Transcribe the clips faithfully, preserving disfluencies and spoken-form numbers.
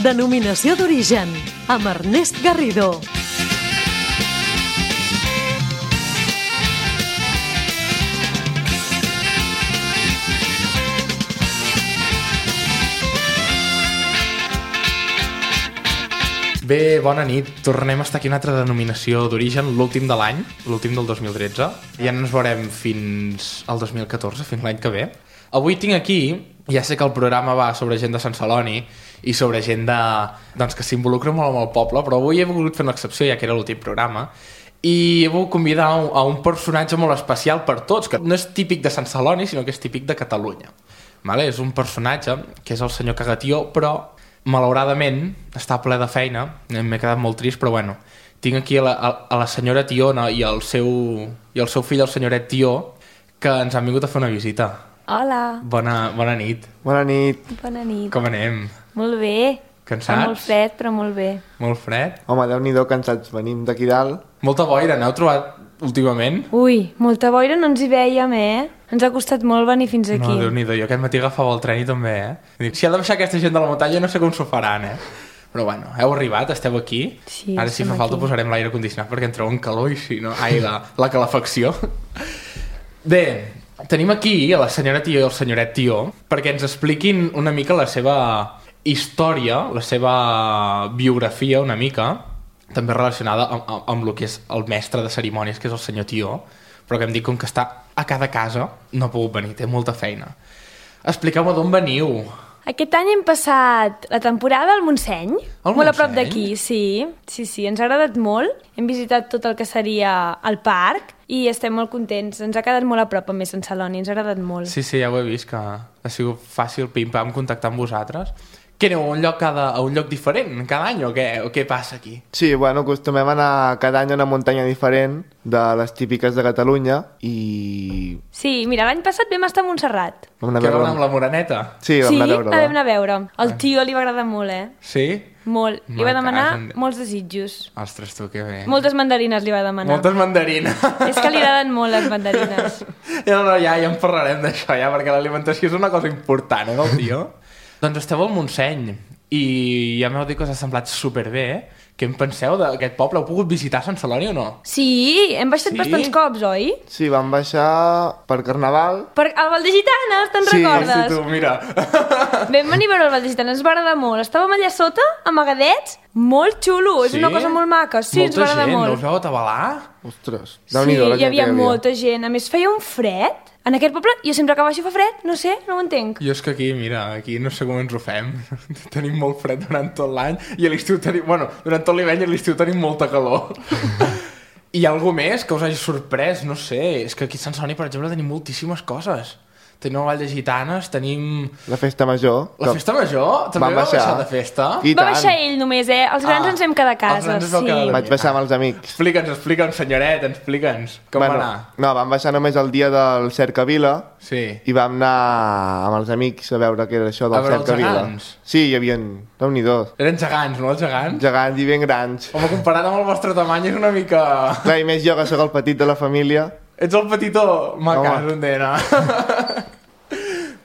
Denominació d'origen, amb Ernest Garrido. Bé, bona nit. Tornem a estar aquí una altra denominació d'origen, l'últim de l'any, l'últim del dos mil tretze. Ja no ens veurem fins al dos mil catorze, fins l'any que ve. Avui tinc aquí, ja sé que el programa va sobre gent de Sant Celoni i sobre gent de, doncs, que s'involucra molt amb el poble, però avui he volgut fer una excepció, ja que era l'últim programa, i he volgut convidar a un, a un personatge molt especial per tots, que no és típic de Sant Celoni, sinó que és típic de Catalunya. Vale? És un personatge que és el senyor Cagatió, però malauradament està ple de feina, m'he quedat molt trist, però bueno, tinc aquí a la, a la senyora Tiona i el seu, i el seu fill, el senyoret Tió, que ens han vingut a fer una visita. Hola. Bona, bona nit. Bona nit. Bona nit. Com anem? Molt bé. Cansats? Fa molt fred, però molt bé. Molt fred? Home, Déu-n'hi-do, cansats. Venim d'aquí dalt. Molta boira, n'heu trobat últimament? Ui, molta boira no ens hi veiem, eh? Ens ha costat molt venir fins aquí. No, Déu-n'hi-do, jo aquest matí agafava el tren i també, eh? Dic, si ha de baixar aquesta gent de la muntanya no sé com s'ho faran, eh? Però bueno, heu arribat, esteu aquí. Sí, ara si fa falta aquí. Posarem l'aire condicionat perquè entreu en calor i si no... Ai, la, la calefacció. Bé, tenim aquí a la senyora Tió i el senyoret Tió perquè ens expliquin una mica la seva història, la seva biografia una mica, també relacionada amb, amb, amb el que és el mestre de cerimònies, que és el senyor Tió, però que em dic com que està a cada casa, no ha pogut venir, té molta feina. Expliqueu-me d'on veniu. Aquest any hem passat la temporada al Montseny, Al molt a prop Montseny? d'aquí, sí. Sí, sí, ens ha agradat molt. Hem visitat tot el que seria el parc i estem molt contents. Ens ha quedat molt a prop, a més, Sant Celoni, ens ha agradat molt. Sí, sí, ja ho he vist, que ha sigut fàcil pim-pam contactar amb vosaltres. Què aneu a un lloc, cada, a un lloc diferent cada any o què, o què passa aquí? Sí, bueno, acostumem a anar cada any a una muntanya diferent de les típiques de Catalunya i... Sí, mira, l'any passat vam estar a Montserrat. Vam anar a Què veure... vam anar amb la Moreneta? Sí, vam Sí, anar a la veure-la. vam anar a veure. Al tio li va agradar molt, eh? Sí? Molt. Li Me va demanar casen. molts desitjos. Ostres, tu, que bé. Moltes mandarines li va demanar. Moltes mandarines. És que li agraden molt les mandarines. No, no, ja, ja en parlarem d'això, ja, perquè l'alimentació és una cosa important, eh, del tio? Doncs esteu al Montseny i ja m'heu dit que us ha semblat superbé, eh? Què en penseu d'aquest poble? Heu pogut visitar Sant Celoni o no? Sí, hem baixat Sí? bastants cops, oi? Sí, vam baixar per Carnaval. Per al Val de Gitanes, te'n Sí, recordes? Sí, tu, mira. Vam venir a veure el Val de Gitanes, ens va agradar molt. Estàvem allà sota, amagadets, molt xulo, és Sí? una cosa molt maca. Sí, ens va Molta agradar gent, no molt. us veu atabalar? Ostres, Sí, Déu-n'hi-do la hi gent havia que hi havia. molta gent. A més, feia un fred. En aquest poble, jo sempre que baixo fa fred, no sé, no ho entenc. Jo és que aquí, mira, aquí no sé com ens ho fem. Tenim molt fred durant tot l'any i a l'estiu tenim... Bueno, durant tot l'hivern i a l'estiu tenim molta calor. Hi ha alguna més que us hagi sorprès? No sé, és que aquí a Sant Celoni, per exemple, tenim moltíssimes coses. Tenim el Vall de Gitanes, tenim... La festa major. La festa major? També Vam vau baixar baixar de festa? I Va tant. baixar ell només, eh? Els grans Ah, ens vam quedar a els casa, grans es vau sí. quedar a Vaig baixar amb els amics. Explica'ns, explica'ns, senyoret, explica'ns. Com bueno, va anar? No, vam baixar només el dia del Cercavila Sí. i vam anar amb els amics a veure què era això A del veure els Cercavila. gegants? Sí, hi havia... Déu-n'hi-do. Eren gegants, no, els gegants? Gegants i ben grans. Home, comparat amb el vostre tamany és una mica... Clar, i més jo que sóc el petit de la família. Ets el petitó? Ma Home. casa, entena.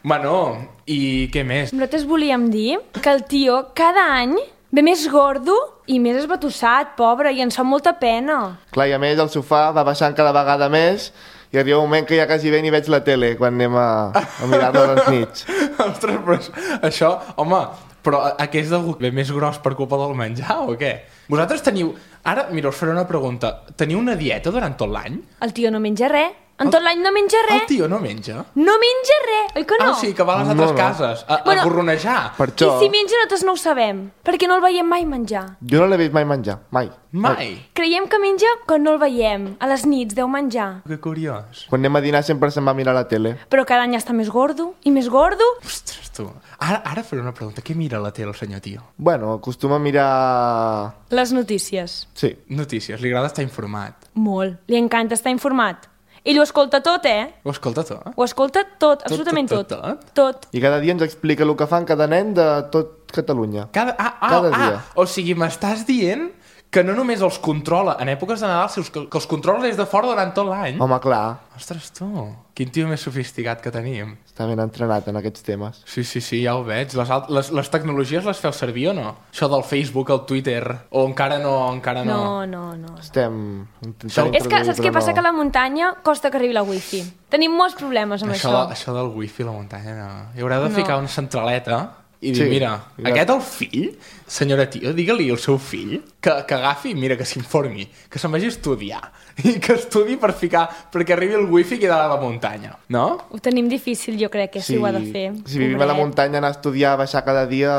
Bueno, i què més? Nosaltres volíem dir que el tio cada any ve més gordo i més esbatussat, pobre, i ens fa molta pena. Clar, i a més el sofà va baixant cada vegada més i arriba un moment que ja quasi bé ni veig la tele quan anem a, a mirar-lo a les nits. Ostres, però això... Home, però aquest és algú que ve més gros per culpa del menjar o què? Vosaltres teniu... Ara, mira, us faré una pregunta. Teniu una dieta durant tot l'any? El tio no menja res. En tot l'any no menja El res. tio no menja? No menja res, oi que no? Ah, o sigui, que va a les No, altres no. cases a, Bueno, a gorronejar. Per I això si menja nosaltres no ho sabem, perquè no el veiem mai menjar. jo no l'he vist mai menjar, mai. Mai. Creiem que menja quan no el veiem. A les nits deu menjar. Que curiós. Quan anem a dinar sempre se'n va a mirar la tele. Però cada any està més gordo i més gordo. Ostres, tu. Ara, ara faré una pregunta. Què mira a la tele el senyor tio? Bueno, acostuma a mirar... Les notícies. Sí. Notícies. Li agrada estar informat. Molt. Li encanta estar informat. Ell ho escolta tot, eh? Ho escolta tot? Ho escolta tot, absolutament tot, tot. tot, Tot. I cada dia ens explica el que fan cada nen de tot Catalunya. Cada, ah, ah, Cada ah, dia. O sigui, m'estàs dient que no només els controla en èpoques de Nadal, sinó que, que els controla des de fora durant tot l'any. Home, clar, Ostres, tu, quin tio més sofisticat que tenim. està ben entrenat en aquests temes. Sí, sí, sí, ja ho veig. Les, alt- les, les tecnologies les feu servir o no? Això del Facebook, el Twitter, o encara no, encara no? No, no, no. Estem Això- intentant És que saps introduir, què passa? però Que a la muntanya costa que arribi la wifi. Tenim molts problemes amb Això, això. això del wifi a la muntanya, no. Hi haurà de No. ficar una centraleta i dir, Sí, mira, mira. aquest el fill, senyora tio, digue-li al seu fill que, que agafi, mira, que s'informi, que se'n vagi a estudiar, i que estudi per ficar, perquè arribi el wifi que hi ha a la muntanya, no? Ho tenim difícil, jo crec, que si ho ha de fer. Si vivim a la Pobret. muntanya, anar a estudiar, baixar cada dia...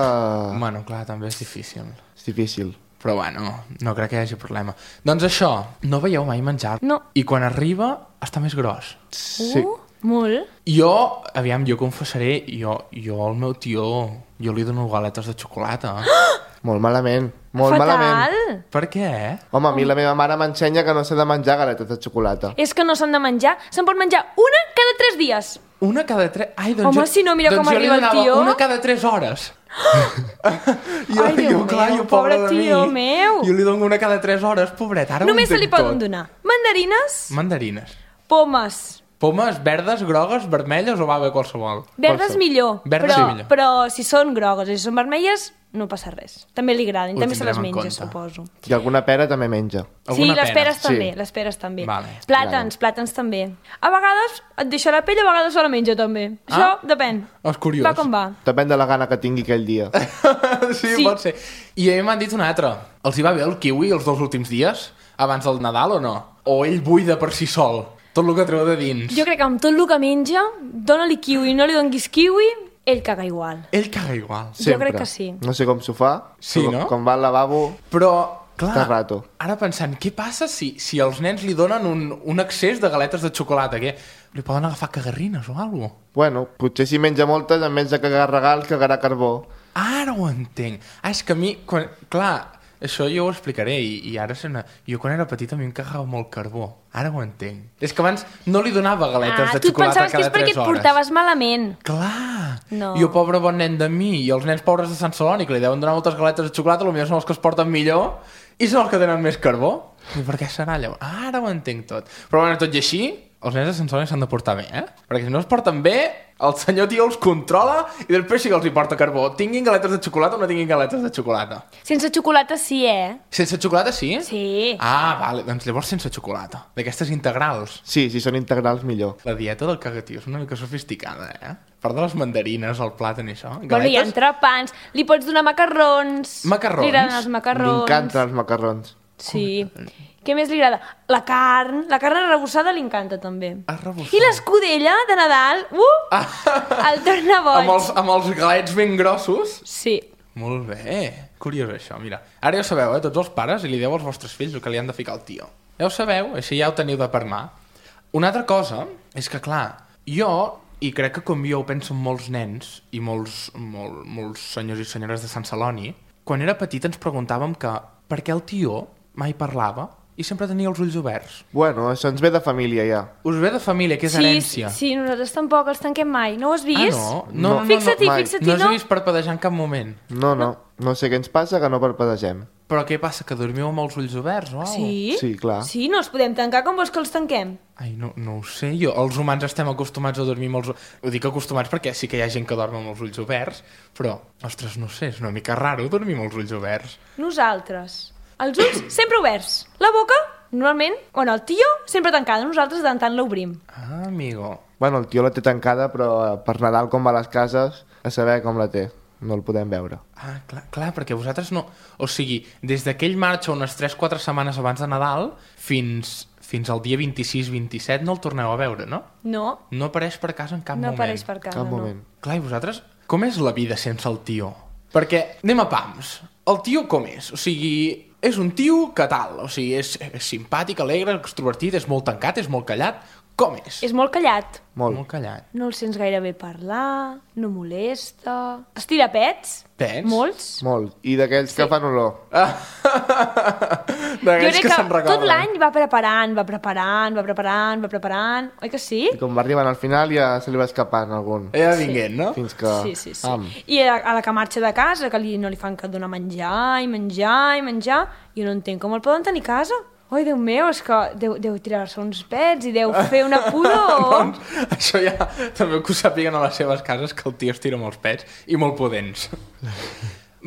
Bueno, clar, també és difícil. És difícil. Però bueno, no crec que hi hagi problema. Doncs això, no veieu mai menjar? No. I quan arriba, està més gros. Sí. Uh, molt. Jo, aviam, jo confessaré, jo, jo al meu tio, jo li dono galetes de xocolata. Molt malament. Molt Fatal. malament. Per què? Home, a mi la meva mare m'ensenya que no s'ha de menjar galetes de xocolata. És que no s'han de menjar. Se'n pot menjar una cada tres dies. Una cada tres... Ai, doncs Home, jo, si no, mira doncs com jo li arriba el donava tio. Una cada tres hores. jo, Ai, Déu jo, clar, meu, jo, pobre pobre de mi, tio meu. Jo li dono una cada tres hores, pobret. Ara Només ho se li entenc poden tot. donar mandarines, Mandarines. pomes. Pomes verdes, grogues, vermelles o va bé qualsevol? Verdes Qualsevol. millor, Verdes però, sí millor. però si són grogues i si són vermelles, no passa res. També li agraden, Ho també se les tindrem en menja, compte. suposo. I alguna pera també menja. Sí, Alguna les pera? peres també, Sí. les peres també. Vale. Plàtans, plàtans també. A vegades et deixa la pell, a vegades se la menja també. Ah. Això depèn. És curiós. Va com va. Depèn de la gana que tingui aquell dia. sí, Sí. pot ser. I a mi m'han dit una altra. Els hi va bé el kiwi els dos últims dies? Abans del Nadal o no? O ell buida per si sol? Tot el que treu de dins. Jo crec que amb tot el que menja, dona-li kiwi, no li donguis kiwi, ell caga igual. Ell caga igual. Sempre. crec que sí. No sé com s'ho fa. Sí, però no? Quan va al lavabo... Però, clar, Està rato. ara pensant, què passa si, si els nens li donen un, un excés de galetes de xocolata? Què? Li poden agafar cagarrines o alguna cosa? Bueno, potser si menja moltes, en vez de cagar regals, cagarà carbó. Ara ho entenc. Ah, és que a mi, quan, clar, això jo ho explicaré i, i ara se ne... Jo quan era petit a mi em cagava molt carbó. Ara ho entenc. És que abans no li donava galetes Ah, de tu et xocolata pensaves que cada és perquè tres et hores. portaves malament. Clar! No. Jo, pobre bon nen de mi, i els nens pobres de Sant Celoni, que li deuen donar moltes galetes de xocolata, potser són els que es porten millor i són els que tenen més carbó. I per què serà allò? Ah, ara ho entenc tot. Però bueno, tot i així, els nens de Sant Celoni s'han de portar bé, eh? Perquè si no es porten bé, el senyor tio els controla i després sí que els hi porta carbó. Tinguin galetes de xocolata o no tinguin galetes de xocolata. Sense xocolata sí, eh? Sense xocolata sí? Sí. Ah, vale, doncs llavors sense xocolata. D'aquestes integrals. Sí, si són integrals, millor. La dieta del cagatiu és una mica sofisticada, eh? A part de les mandarines, el plàtan i això. Bueno, hi ha entrepans, li pots donar macarrons. Macarrons? Li agraden els macarrons. M'encanten els macarrons. Sí. Què més li agrada? La carn. La carn arrebossada li encanta, també. Arrebossada. I l'escudella de Nadal, uh! El torna boig. Amb els, amb els galets ben grossos. Sí. Molt bé. Curiós això, mira. Ara ja ho sabeu, eh, tots els pares, i li dieu als vostres fills el que li han de ficar al tio. Ja ho sabeu, així ja ho teniu de per mà. Una altra cosa és que, clar, jo, i crec que com jo ho penso molts nens i molts, molt, molts senyors i senyores de Sant Celoni, quan era petit ens preguntàvem que per què el tio mai parlava i sempre tenia els ulls oberts. Bueno, això ens ve de família, ja. Us ve de família, que és Sí, herència. sí, nosaltres tampoc els tanquem mai. No ho has Ah, vist? no? No, No. no, no, Fixa't-hi, no, mai. fixa't-hi, no us no? he vist parpadejar en cap moment. No, no. No sé què ens passa, que no parpadegem. Però què passa, que dormiu amb els ulls oberts o alguna cosa? Sí? Sí, clar. Sí, no els podem tancar com vols que els tanquem. Ai, no, no ho sé, jo. Els humans estem acostumats a dormir amb els... Ho dic acostumats perquè sí que hi ha gent que dorm amb els ulls oberts, però, ostres, no sé, és una mica raro dormir amb els ulls oberts. Nosaltres. Els ulls sempre oberts. La boca, normalment, bueno, el tio sempre tancada. Nosaltres de tant en tant l'obrim. Ah, amigo. Bueno, el tio la té tancada, però eh, per Nadal, com va a les cases, a saber com la té. No el podem veure. Ah, clar, clar, perquè vosaltres no... O sigui, des d'aquell marxa unes tres quatre setmanes abans de Nadal fins, fins al dia vint-i-sis vint-i-set no el torneu a veure, no? No, No apareix per casa en cap no moment. apareix per casa, Cap no. moment. Clar, i vosaltres, com és la vida sense el tio? Perquè, anem a pams, el tio com és? O sigui, és un tio que tal, o sigui, és, és simpàtic, alegre, extrovertit, és molt tancat, és molt callat. Com és? És molt callat. Molt. Molt callat. No el sents gaire bé parlar, no molesta... Estira pets. Pets? Molts. Molt. I d'aquells sí. que fan olor. Jo D'aquells crec que que se'n recorden. tot l'any va preparant, va preparant, va preparant, va preparant... Oi que sí? I com va arribant al final ja se li va escapant algun. Ella vinguent, no? Fins que... Sí, sí, sí. Am. I a, a la que marxa de casa, que li, no li fan que donar menjar i menjar i menjar, jo no entenc com el poden tenir a casa. Oi, Déu meu, és que deu, deu tirar-se uns pets i deu fer una pudor. Doncs, això ja també que ho sàpiguen a les seves cases, que el tio es tira molts pets i molt pudents.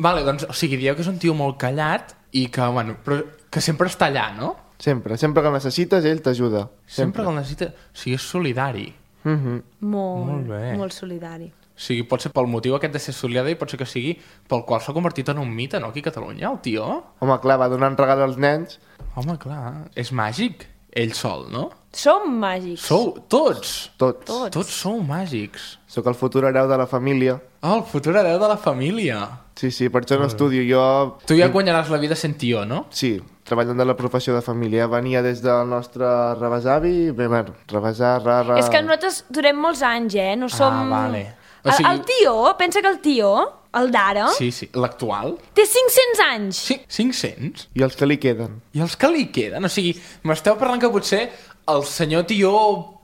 Vale, doncs, o sigui, dieu que és un tio molt callat i que, bueno, però que sempre està allà, no? Sempre. Sempre que el necessites, ell t'ajuda. Sempre, Sempre. que el necessita... O sigui, és solidari. Mm-hmm. Molt, Molt bé. molt solidari. O sigui, pot ser pel motiu aquest de ser solidari, pot ser que sigui pel qual s'ha convertit en un mite, no?, aquí a Catalunya, el tio. Home, clar, va donant regal als nens. Home, clar, és màgic, ell sol, no? Som màgics. Sou tots. Tots. Tots. Tots sou màgics. Sóc el futur hereu de la família. Oh, el futur hereu de la família. Sí, sí, per això no estudio. Jo... Tu ja guanyaràs la vida sent tio, no? Sí, treballant de la professió de família. Venia des del nostre rebesavi, bé, bueno, rebesar, ra, ra... És que nosaltres durem molts anys, eh? No som... Ah, vale. O El, sigui- el tio, pensa que el tio, el d'ara, Sí, sí, l'actual. té cinc-cents anys. Sí, cinc-cents. I els que li queden. I els que li queden? O sigui, m'esteu parlant que potser el senyor tio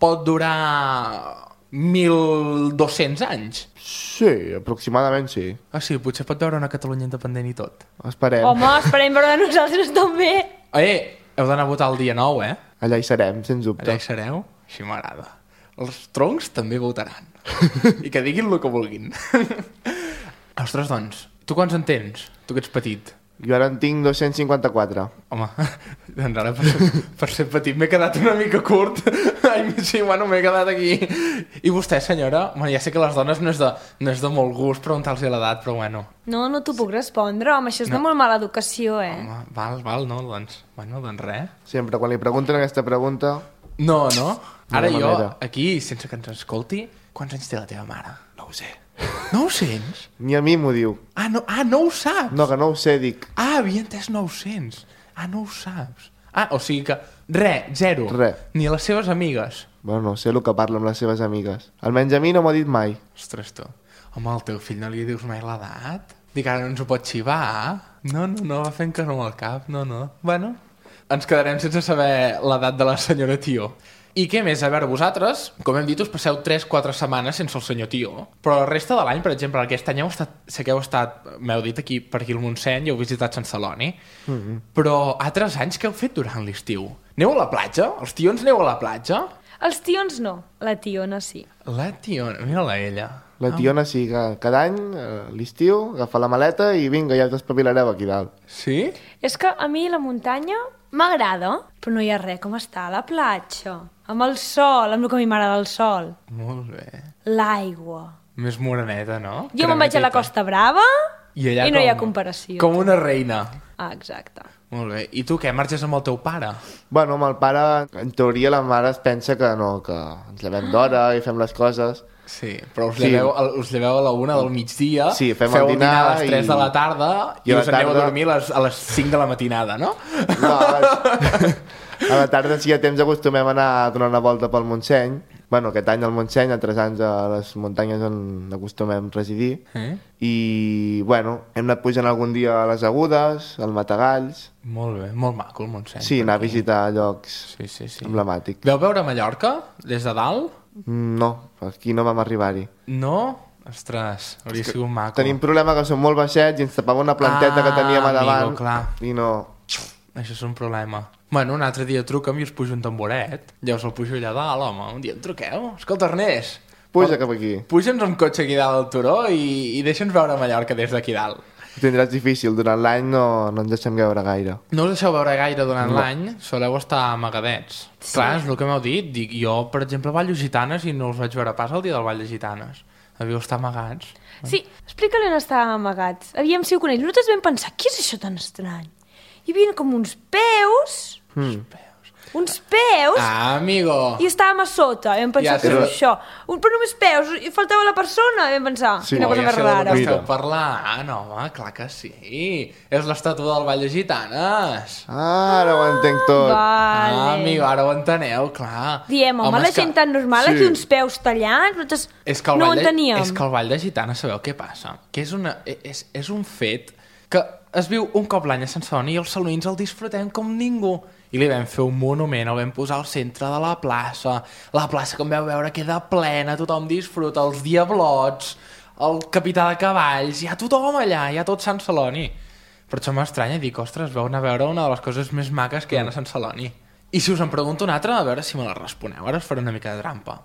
pot durar mil dos-cents anys? Sí, aproximadament sí. O sigui, potser pot veure una Catalunya independent i tot. Esperem. Home, esperem veure de nosaltres també. Eh, heu d'anar a votar el dia nou, eh? Allà hi serem, sens dubte. Allà hi sereu? Així m'agrada. Els troncs també votaran. I que diguin el que vulguin. Ostres, doncs, tu quants en tens? Tu que ets petit. Jo ara en tinc dos-cents cinquanta-quatre. Home, doncs ara per ser, per ser petit m'he quedat una mica curt. Ai, sí, bueno, m'he quedat aquí. I vostè, senyora? Bueno, ja sé que les dones no és de, no és de molt gust preguntar-los l'edat, però bueno. No, no t'ho puc respondre, home, això és No. de molt mala educació, eh? Home, val, val, no, doncs, bueno, doncs res. Sempre, quan li pregunten aquesta pregunta... No, no? Ara No hi ha jo, manera. aquí, sense que ens escolti, quants anys té la teva mare? No ho sé. No ho sents? Ni a mi m'ho diu. Ah, no, ah, no ho saps? No, que no ho sé, dic. Ah, havia entès nou-cents. Ah, no ho saps. Ah, o sigui que, re, zero. Re. Ni a les seves amigues. Bueno, no sé el que parla amb les seves amigues. Almenys a mi no m'ho ha dit mai. Ostres, tu. Home, al teu fill no li dius mai l'edat? Dic, ara no ens ho pot xivar? No, no, no, va fent que no al cap, no, no. Bueno, ens quedarem sense saber l'edat de la senyora Tio. I què més? A veure, vosaltres, com hem dit, us passeu tres quatre setmanes sense el senyor Tio, però la resta de l'any, per exemple, aquest any heu estat, sé que heu estat, m'heu dit aquí per aquí al Montseny i heu visitat Sant Celoni, mm-hmm. però altres anys què heu fet durant l'estiu? Aneu a la platja? Els tions aneu a la platja? Els tions no, la tiona sí. La tiona, mira-la ella. La tiona sí, que cada any, a l'estiu, agafa la maleta i vinga, ja us espavilareu aquí dalt. Sí? És que a mi la muntanya m'agrada, però no hi ha res com estar a la platja, amb el sol, amb el que a mi m'agrada el sol. Molt bé. L'aigua. Més moreneta, no? Jo me'n vaig a la Costa Brava I, allà i no com, hi ha comparació. Com una reina. Ah, exacte. Molt bé. I tu què? Marxes amb el teu pare? Bueno, amb el pare, en teoria la mare es pensa que no, que ens llevem d'hora i fem les coses. Sí, però us Sí. lleveu, us lleveu a la una del migdia, Sí, fem feu el dinar a les tres i- de la tarda i, i a la us aneu tarda- a dormir a les, a les cinc de la matinada, no? No, a, les... a la tarda, si hi ha temps, acostumem a anar a donar una volta pel Montseny. Bueno, aquest any al Montseny, altres anys a les muntanyes on acostumem residir. Eh? I, bueno, hem anat pujant algun dia a les Agudes, al Matagalls. Molt bé, molt maco el Montseny. Sí, per anar a aquí. visitar llocs Sí, sí, sí. emblemàtics. Veu veure Mallorca des de dalt? No, aquí no vam arribar-hi. No? Ostres, hauria sigut maco. Tenim problema que som molt baixets i ens tapava una planteta Ah, que teníem a davant. amigo, clar. I no... Això és un problema. Bueno, un altre dia truca'm i us pujo un tamboret. Ja us el pujo allà dalt, home. Un dia em truqueu. Escolta, Ernest. Puja cap aquí. Puja'ns amb cotxe aquí dalt al turó i, i deixa'ns veure Mallorca des d'aquí dalt. Ho tindràs difícil, durant l'any no, no ens deixem veure gaire. No us deixeu veure gaire durant No. l'any, soleu estar amagadets. Sí. Clar, és el que m'heu dit. Dic, jo, per exemple, ballo gitanes i no us vaig veure pas el dia del ball de gitanes. Devíeu estar amagats. Sí, explica-li on estàvem amagats. Aviam si ho coneix. Nosaltres vam pensar, què és això tan estrany? Hi havia com uns peus, Mm. uns peus, Ah, amigo. i estàvem a sota. I vam pensar Ja que sé. era això. Un, però només peus, i faltava la persona. I vam pensar, Sí, quina no, cosa ja més sé del rara. que esteu Mira. parlant. Home, clar que sí. És l'estàtua del Ball de Gitanes. Ah, ara ho entenc tot. Vale. Ah, amigo, ara ho enteneu, clar. Diem, home, la és que- gent tan normal, sí. aquí uns peus tallats, nosaltres És que el no ho ball de, enteníem. és que el Ball de Gitanes, sabeu què passa? Que és, una, és, és un fet que es viu un cop l'any a Sant Celoni i els salonins el disfrutem com ningú. I li vam fer un monument, el vam posar al centre de la plaça. La plaça, com veu veure, queda plena, tothom disfruta, els diablots, el capità de cavalls, hi ha tothom allà, hi ha tot Sant Celoni. Per això m'estranya, dic, ostres, veu anar a veure una de les coses més maques que hi ha a Sant Celoni. I si us en pregunto una altra, a veure si me la responeu, ara us faré una mica de trampa.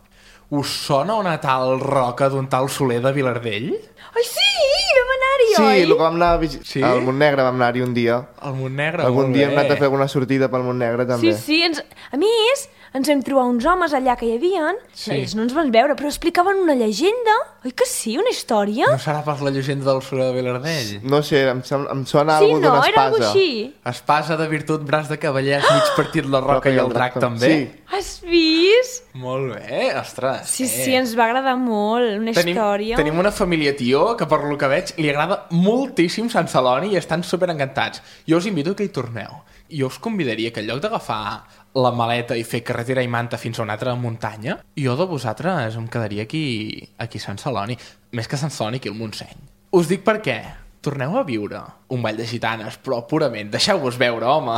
Us sona una tal roca d'un tal Soler de Vilardell? Ai, sí, vam anar-hi, Sí, oi? el que vam anar a visi- Sí? al Montnegre vam anar-hi un dia. El Montnegre, Algun molt dia hem bé. anat a fer alguna sortida pel Montnegre, també. Sí, sí, ens... a més, ens vam trobar uns homes allà que hi havia, Sí. ells no ens van veure, però explicaven una llegenda, oi que sí, una història? No serà pas la llegenda del Soler de Vilardell? No sé, em, sem- em sona Sí, algú no, d'una era algo espasa. així. Espasa de virtut, braç de cavallers, mig partit la roca i el drac també? Sí. Has vist? Molt bé, ostres. Sí, eh. sí, ens va agradar molt, una Tenim, història. tenim una família tio que, per lo que veig, li agrada moltíssim Sant Celoni i estan super encantats. Jo us invito que hi torneu. Jo us convidaria que en lloc d'agafar la maleta i fer carretera i manta fins a una altra muntanya, jo de vosaltres em quedaria aquí, aquí a Sant Celoni. Més que Sant Celoni, aquí al Montseny. Us dic per què. Torneu a viure un ball de gitanes, però purament. Deixeu-vos veure, home.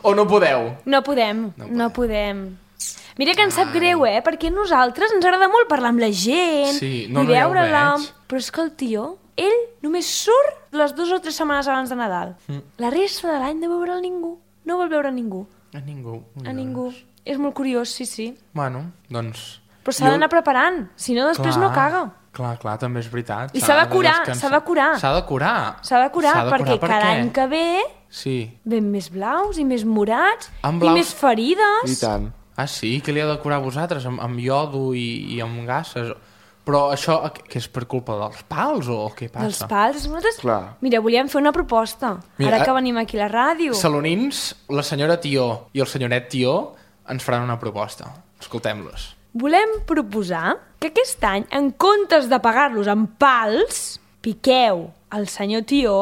O no podeu? No podem, no, no podem. Mira que ens sap greu, eh? Perquè a nosaltres ens agrada molt parlar amb la gent Sí, no, i no, ja ho veure-la. veig. Però és que el tio, ell només surt les dues o tres setmanes abans de Nadal. Mm. La resta de l'any no veure'l ningú. No vol veure ningú. A ningú. A ningú. És molt curiós, sí, sí. Bueno, doncs... Però s'ha d'anar preparant, si no després no caga. Clar, clar, també és veritat. I s'ha de curar, descansar. s'ha de curar. S'ha de curar. S'ha de curar, S'ha de perquè per cada què? any que ve Sí. ven més blaus i més morats Amb i blaus- més ferides. I tant. Ah, sí? Què li ha de curar a vosaltres? Amb, amb iodo i, i amb gasses? Però això, que és per culpa dels pals o què passa? Dels pals. Nosaltres, Clar. mira, volíem fer una proposta. Mira, Ara que eh, venim aquí a la ràdio. Salonins, la senyora Tió i el senyoret Tió ens faran una proposta. Escoltem-los. Volem proposar que aquest any, en comptes de pagar-los amb pals, piqueu el senyor Tió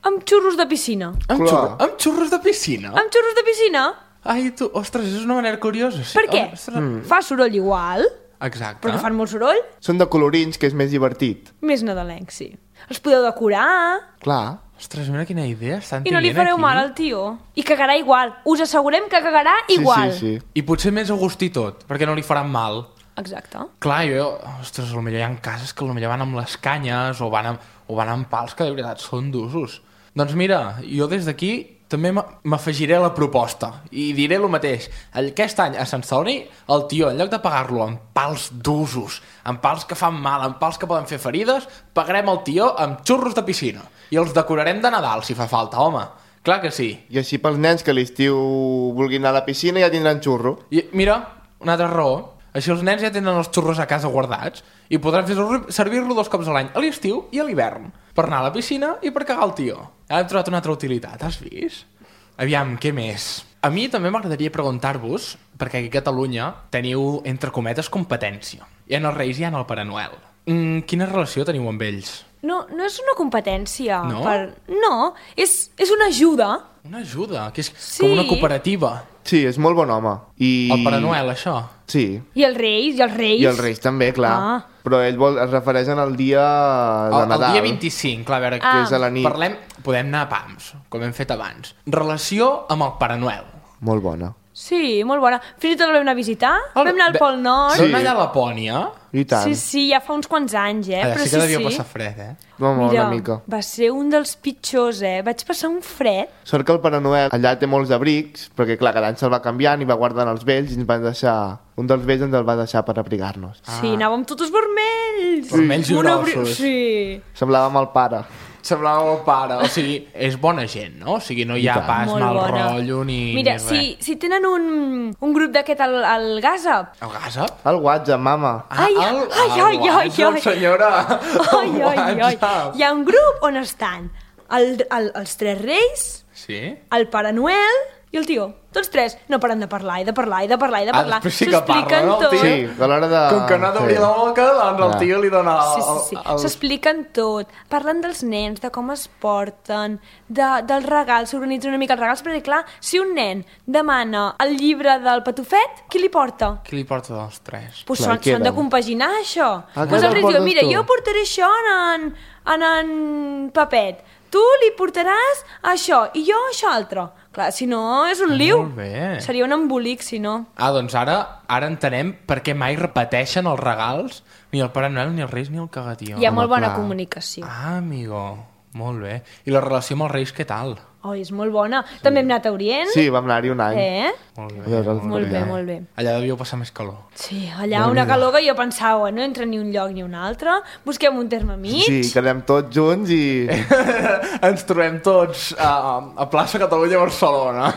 amb xurros de piscina. Amb, Clar. xurro, amb xurros de piscina? Amb xurros de piscina? Ai, tu, ostres, és una manera curiosa. Sí. Per què? Ostres. Mm. Fa soroll igual, Exacte. però que fan molt soroll, Són de colorins, que és més divertit. més nadalenc, sí. Els podeu decorar Clar. Ostres, mira quina idea estan i no li tenint fareu aquí. mal al tio. I cagarà igual. Us assegurem que cagarà igual. Sí, sí, sí. I potser més a gust i tot, perquè no li faran mal. Exacte. Clar, jo, ostres, potser hi ha cases que potser van amb les canyes o van amb, o van amb pals que de veritat són d'usos. Doncs mira, jo des d'aquí també m- m'afegiré a la proposta i diré el mateix. Aquest any a Sant Celoni, el tio, en lloc de pagar-lo amb pals d'usos, amb pals que fan mal, amb pals que poden fer ferides, pagarem el tio amb xurros de piscina i els decorarem de Nadal, si fa falta, home. Clar que sí. I així pels nens que a l'estiu vulguin anar a la piscina ja tindran xurro. I mira, una altra raó. Així els nens ja tenen els xurros a casa guardats i podran fer servir-lo dos cops a l'any, a l'estiu i a l'hivern, per anar a la piscina i per cagar el tio. Ara hem trobat una altra utilitat, has vist? Aviam, què més? A mi també m'agradaria preguntar-vos, perquè aquí a Catalunya teniu, entre cometes, competència. Hi ha els Reis i hi ha el Pare Noel. Mm, quina relació teniu amb ells? No, no és una competència. No? Per... No, és, és una ajuda. Una ajuda, que és Sí. com una cooperativa. Sí, és molt bon home. I... El Pare Noel, això. Sí. I els reis, i els reis. I els Reis també, clar. Ah. Però ell vol, es refereixen al dia de El, el Nadal. dia vint-i-cinc, clar, a veure, Ah. Que és a la nit. parlem, podem anar a pams, com hem fet abans. Relació amb el Pare Noel. Molt bona. Sí, molt bona. Fins i tot el vam anar a visitar. El- Vam anar al Ve- Pol Nord. Són Sí. allà a Lapònia? I tant. Sí, sí, ja fa uns quants anys, eh? Allà Però sí que devia sí. passar fred, eh? Home, Mira, una mica. va ser un dels pitjors, eh? Vaig passar un fred. Sort que el Pare Noel allà té molts abrics, perquè clar, cada any se'l va canviant i va guardant els vells i ens van deixar... Un dels vells ens el va deixar per abrigar-nos. Ah. Sí, anàvem totes vermells. Vermells i Un abri- grossos. Sí. Semblàvem el pare. Semblava el pare. O sigui, és bona gent, no? O sigui, no hi ha tant. pas Molt mal bona. rotllo ni, Mira, ni res. si, si tenen un, un grup d'aquest al, al Gazap, El Gazap? El WhatsApp, mama. Ah, Ai, el, ai, el ai, ai, WhatsApp, ai. senyora. ai, El ai, ai, WhatsApp. hi ha un grup on estan el, el, els tres reis, Sí? el Pare Noel I el tio, tots tres, no paren de parlar i de parlar i de parlar i de Ah, parlar. després sí que parla, S'expliquen no, el tot. tio? Sí, a l'hora de... Com que no ha d'obrir sí. la boca, doncs el Ah. tio li dona... El, Sí, sí, sí. el- el- S'expliquen tot. Parlen dels nens, de com es porten, de, dels regals, s'organitzen una mica els regals, perquè clar, si un nen demana el llibre del Patufet, qui li porta? Qui li porta dels tres? Pues Clar, són, són de queden. compaginar això. Ah, Pues que el te'l rei diu, portes mira, tu. jo portaré això en en, en, en Papet, tu li portaràs això i jo això altre. Clar, si no, és un liu. Molt bé. Seria un embolic, si no. Ah, doncs ara ara entenem per què mai repeteixen els regals ni el Pare Noel, ni els Reis, ni el Cagatió. Hi ha Home, molt bona clar. comunicació. Ah, amigo, molt bé. I la relació amb els Reis, què tal? Oh, és molt bona. També hem anat a Orient. Sí, vam anar-hi un any. Eh? Molt bé. A veure, els Molt bé, Orient. molt bé. Allà devíeu passar més calor. Sí, allà una calor que jo pensava, no entra ni un lloc ni un altre, busquem un terme mig. Sí, quedem tots junts i... Ens trobem tots a, a plaça Catalunya a Barcelona.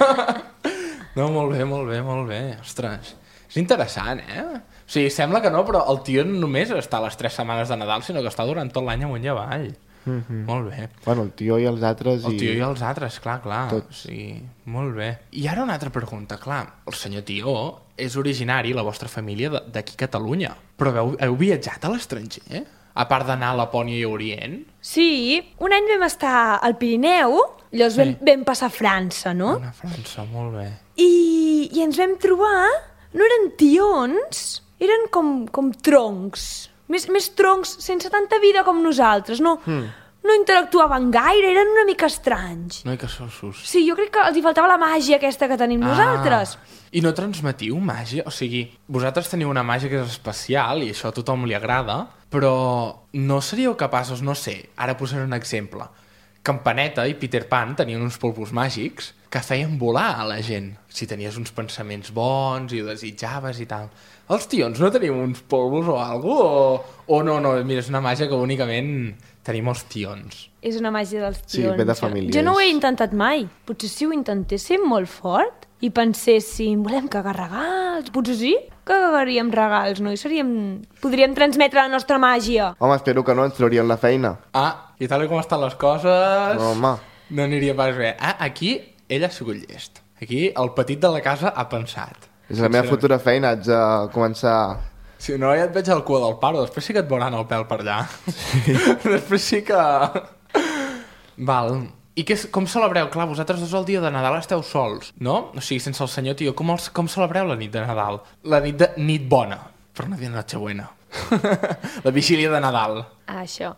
No, molt bé, molt bé, molt bé. Ostres, és interessant, eh? O sigui, sembla que no, però el tio no només està les tres setmanes de Nadal, sinó que està durant tot l'any amunt i avall. Mm-hmm. Molt bé. Bueno, el tio i els altres... El i... tio i els altres, clar, clar. Tots. O sigui, molt bé. I ara una altra pregunta, clar. El senyor Tió és originari, la vostra família, de- d'aquí a Catalunya. Però heu, heu viatjat a l'estranger? A part d'anar a Lapònia i a Orient? Sí, un any vam estar al Pirineu, llavors vam, Sí. vam passar a França, no? Una França, molt bé. I, I ens vam trobar, no eren tions, eren com, com troncs. Més, més troncs sense tanta vida com nosaltres, no, mm. no interactuaven gaire, eren una mica estranys. No hi que sossos. Sí, jo crec que els hi faltava la màgia aquesta que tenim nosaltres. I no transmetiu màgia? O sigui, vosaltres teniu una màgia que és especial i això a tothom li agrada, però no seríeu capaços, no sé, ara posaré un exemple. Campaneta i Peter Pan tenien uns polvos màgics que feien volar a la gent. Si tenies uns pensaments bons i ho desitjaves i tal. Els tions no teniu uns polvos o alguna cosa? O, o no, no, mira, és una màgia que únicament tenim els tions. És una màgia dels Sí, tions. ve de Jo- famílies. Jo no ho he intentat mai. Potser si ho intentéssim molt fort i penséssim, volem cagar regals, potser sí que cagaríem regals, no? I seríem... podríem transmetre la nostra màgia. Home, espero que no ens traurien la feina. Ah, i tal com estan les coses... No, home. No aniria pas bé. Ah, aquí ell ha sigut llest. Aquí el petit de la casa ha pensat. És la meva futura feina, haig de començar... Si no, ja et veig al cua del paro, després sí que et veuran el pèl per allà. Sí. Després sí que... Val. I què, com celebreu? Clar, vosaltres dos el dia de Nadal esteu sols, no? O sigui, sense el senyor Tio. Com, els, com celebreu la nit de Nadal? La nit de nit bona, per no dir Nochebuena. La vigília de Nadal. Ah, això.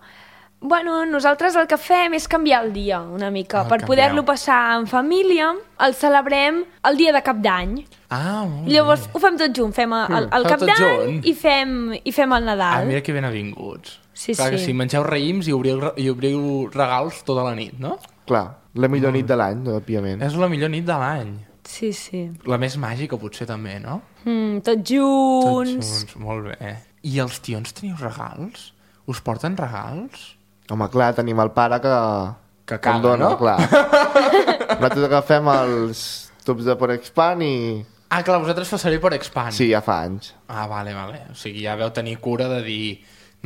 Bueno, nosaltres el que fem és canviar el dia una mica. Ah, per canvieu. poder-lo passar en família, el celebrem el dia de Cap d'Any. Ah, molt Llavors bé. ho fem tot junt, fem el, el, el Feu Cap tot d'Any junt? i fem, i fem el Ah, Nadal. mira que ben avinguts. Sí, Clar que sí. sí, mengeu raïms i obriu, i obriu regals tota la nit, no? Clar, la millor nit de l'any, òbviament. És la millor nit de l'any. Sí, sí. La més màgica, potser, també, no? Mm, tots Tots junts. junts, molt bé. I els tions teniu regals? Us porten regals? Home, clar, tenim el pare que... Que que en caga, no? Clar. Nosaltres agafem els tubs de Porexpan i... Ah, clar, vosaltres fa servir per Expand. Sí, ja fa anys. Ah, vale, vale. O sigui, ja veu tenir cura de dir...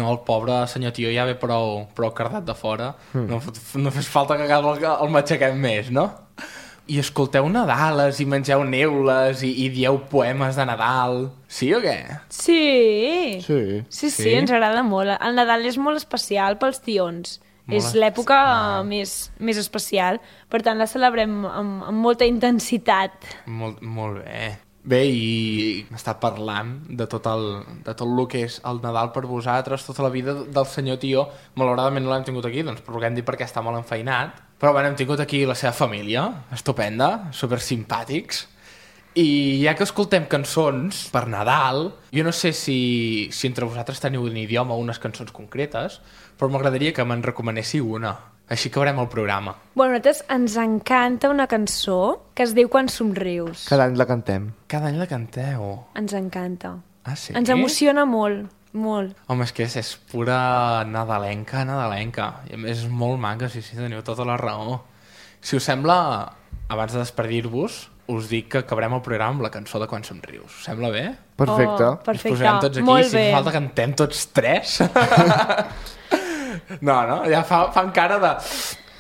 No, el pobre senyor Tio ja ve prou, prou cardat de fora. Mm. No, no fes falta que cada el, el matxaquem més, no? I escolteu Nadales i mengeu neules i, i dieu poemes de Nadal. Sí o què? Sí. Sí. Sí, sí, Sí? ens agrada molt. El Nadal és molt especial pels tions. Molt és l'època més, més especial. Per tant, la celebrem amb, amb molta intensitat. Molt, molt bé. Bé, i hem estat parlant de tot, el, de tot el que és el Nadal per vosaltres, tota la vida del senyor Tio. Malauradament no l'hem tingut aquí, doncs puguem dir perquè està molt enfeinat. Però bueno, hem tingut aquí la seva família, estupenda, super simpàtics. I ja que escoltem cançons per Nadal, jo no sé si, si entre vosaltres teniu un idioma o unes cançons concretes, però m'agradaria que me'n recomanéssiu una. Així acabarem el programa. Bueno, a nosaltres ens encanta una cançó que es diu Quan somrius. Cada any la cantem. Cada any la canteu. Ens encanta. Ah, sí? Ens emociona molt, molt. Home, és que és, és pura nadalenca, nadalenca. I a més és molt maca, sí, sí, teniu tota la raó. Si us sembla, abans de despedir-vos, us dic que acabarem el programa amb la cançó de Quan somrius. Us sembla bé? Perfecte. Oh, Ens perfecte, posarem tots aquí, molt si bé. fa falta cantem tots tres. No, no, ja fa, fan cara de...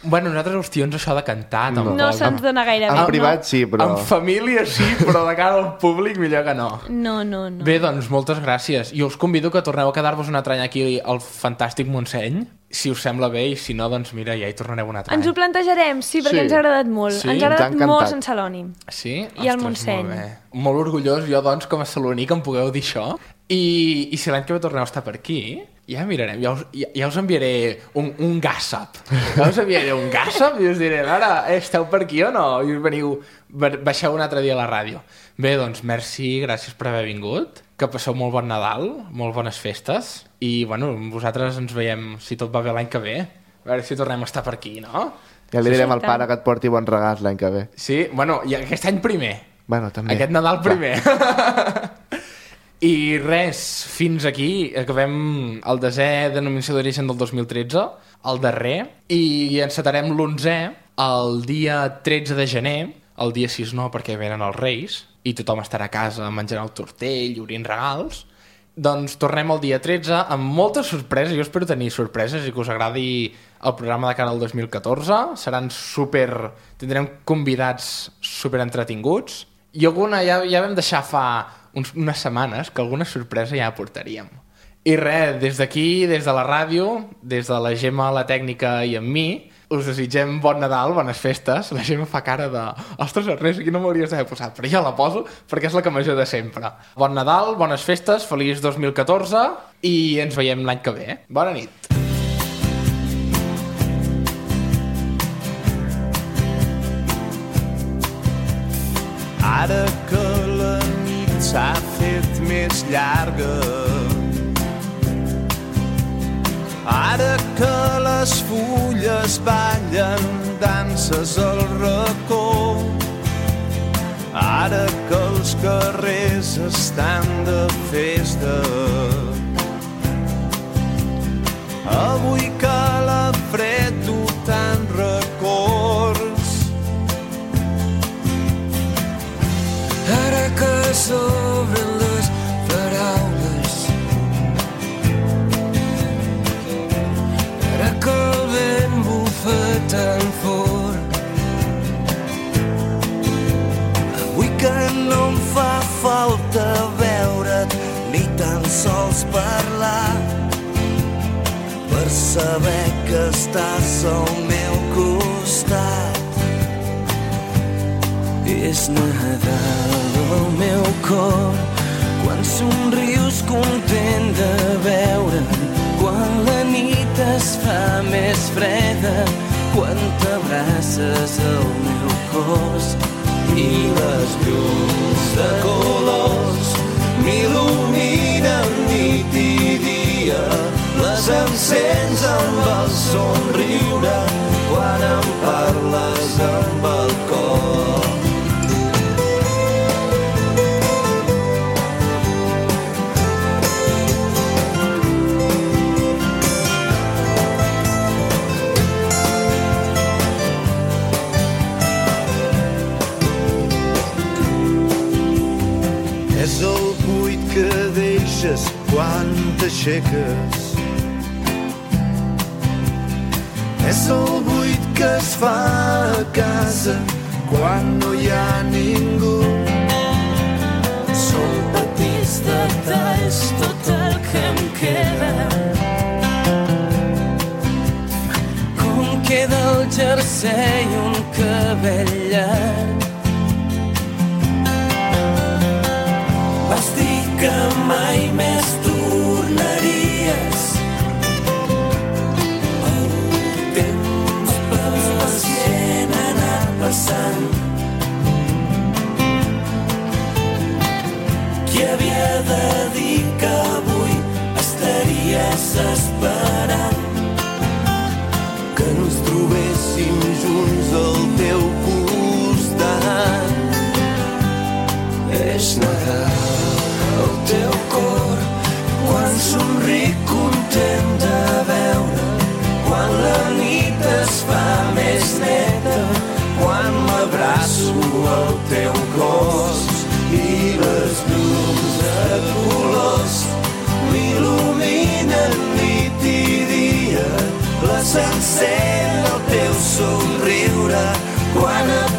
Bueno, nosaltres ostions això de cantar tampoc. No se'ns dona gaire bé. En privat sí, però... En família sí, però de cara al públic millor que no. No, no, no. Bé, doncs, moltes gràcies. I us convido que torneu a quedar-vos un altre any aquí al fantàstic Montseny, si us sembla bé, i si no, doncs mira, ja hi tornareu un altre any. Ens ho plantejarem, sí, perquè Sí. ens ha agradat molt. Sí? Ens ha agradat Ens ha molt encantat. Sant Celoni. Sí? I el Ostres, Montseny. Molt, bé. Molt orgullós jo, doncs, com a saloní, que em pugueu dir això. I, i si l'any que ve torneu a estar per aquí, ja mirarem, ja us, ja, ja us enviaré un, un gossip. Ja us enviaré un gossip i us diré, ara, esteu per aquí o no? I us veniu, baixeu un altre dia a la ràdio. Bé, doncs, merci, gràcies per haver vingut. Que passeu molt bon Nadal, molt bones festes. I, bueno, vosaltres ens veiem, si tot va bé, l'any que ve. A veure si tornem a estar per aquí, no? Ja li direm al Sí, pare que et porti bons regals l'any que ve. Sí? Bueno, i aquest any primer. Bueno, també. Aquest Nadal primer. I res, fins aquí acabem el desè denominació d'origen del dos mil tretze, el darrer, i encetarem l'onzè el dia tretze de gener, el dia sis no, perquè venen els Reis, i tothom estarà a casa menjant el tortell, obrint regals. Doncs tornem el dia tretze amb moltes sorpreses. Jo espero tenir sorpreses i que us agradi el programa de cara al dos mil catorze. Seran super... Tindrem convidats super entretinguts. I alguna ja, ja vam deixar fa uns, unes setmanes que alguna sorpresa ja portaríem. I res, des d'aquí, des de la ràdio, des de la Gemma, la tècnica i amb mi, us desitgem bon Nadal, bones festes. La Gemma fa cara de... Ostres, res, aquí no m'hauries d'haver posat, però ja la poso perquè és la que major de sempre. Bon Nadal, bones festes, feliç dos mil catorze i ens veiem l'any que ve. Bona nit. Ara que la nit s'ha fet més llarga, ara que les fulles ballen danses al racó, ara que els carrers estan de festa, avui que la fred du tant records, ara que s'obren les paraules, ara que el vent bufa tan fort, avui que no em fa falta veure't ni tan sols parlar per saber que estàs al meu costat. És Nadal al meu cor, quan somrius content de veure'm, quan la nit es fa més freda, quan t'abraces al meu cos i les llums de colors m'il·luminen nit i dia, les encens amb el somriure quan em parles amb el cor. És el buit que deixes quan t'aixeques, és el buit que es fa a casa quan no hi ha ningú. Són petits detalls tot el que em queda, com queda el jersei i un cabell llarg. Vas dir que mai més tornaries, el temps pacient ha anat passant. Qui havia de dir que avui estaries esperant que ens trobéssim junts al teu costat? És Nadal al teu cor, quan somric content de veure, quan la nit es fa més neta, quan m'abraço al teu cos i les llums de colors m'il·luminen nit i dia, les encén el teu somriure quan et